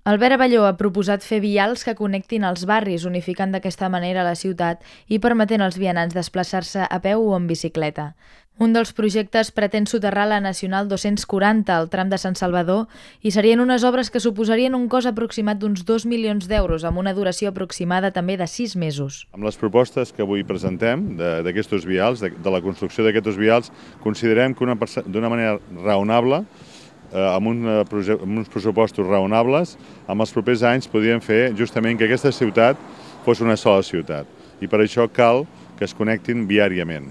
Albert Abelló ha proposat fer vials que connectin els barris, unificant d'aquesta manera la ciutat i permetent als vianants desplaçar-se a peu o en bicicleta. Un dels projectes pretén soterrar la Nacional 240 al tram de Sant Salvador i serien unes obres que suposarien un cost aproximat d'uns 2 milions d'euros, amb una duració aproximada també de 6 mesos. Amb les propostes que avui presentem d'aquests vials, de la construcció d'aquests vials, considerem que d'una manera raonable, amb uns pressupostos raonables, amb els propers anys podríem fer justament que aquesta ciutat fos una sola ciutat. I per això cal que es connectin viàriament.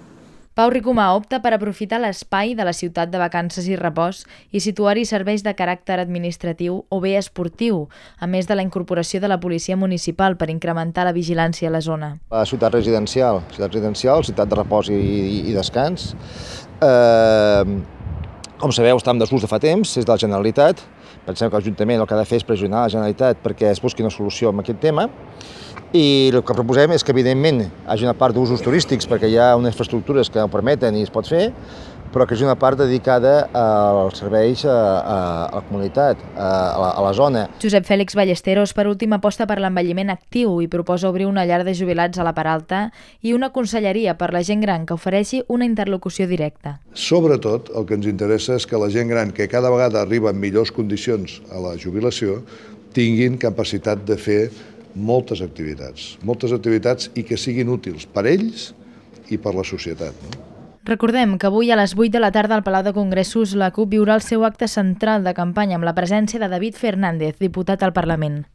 Pau Ricomà opta per aprofitar l'espai de la ciutat de vacances i repòs i situar-hi serveis de caràcter administratiu o bé esportiu, a més de la incorporació de la policia municipal per incrementar la vigilància a la zona. La ciutat residencial, ciutat de repòs i descans. Com sabeu, està en desús de fa temps, és de la Generalitat. Pensem que l'Ajuntament el que ha de fer és pressionar la Generalitat perquè es busqui una solució amb aquest tema. I el que proposem és que, evidentment, hi hagi una part d'usos turístics perquè hi ha unes infraestructures que ho permeten i es pot fer, però que hi hagi una part dedicada als serveis a la comunitat, a la zona. Josep Fèlix Ballesteros, per últim, aposta per l'envelliment actiu i proposa obrir una llar de jubilats a la Peralta i una conselleria per la gent gran que ofereixi una interlocució directa. Sobretot, el que ens interessa és que la gent gran, que cada vegada arriba en millors condicions a la jubilació, tinguin capacitat de fer moltes activitats i que siguin útils per ells i per la societat. Recordem que avui a les 8 de la tarda al Palau de Congressos la CUP viurà el seu acte central de campanya amb la presència de David Fernández, diputat al Parlament.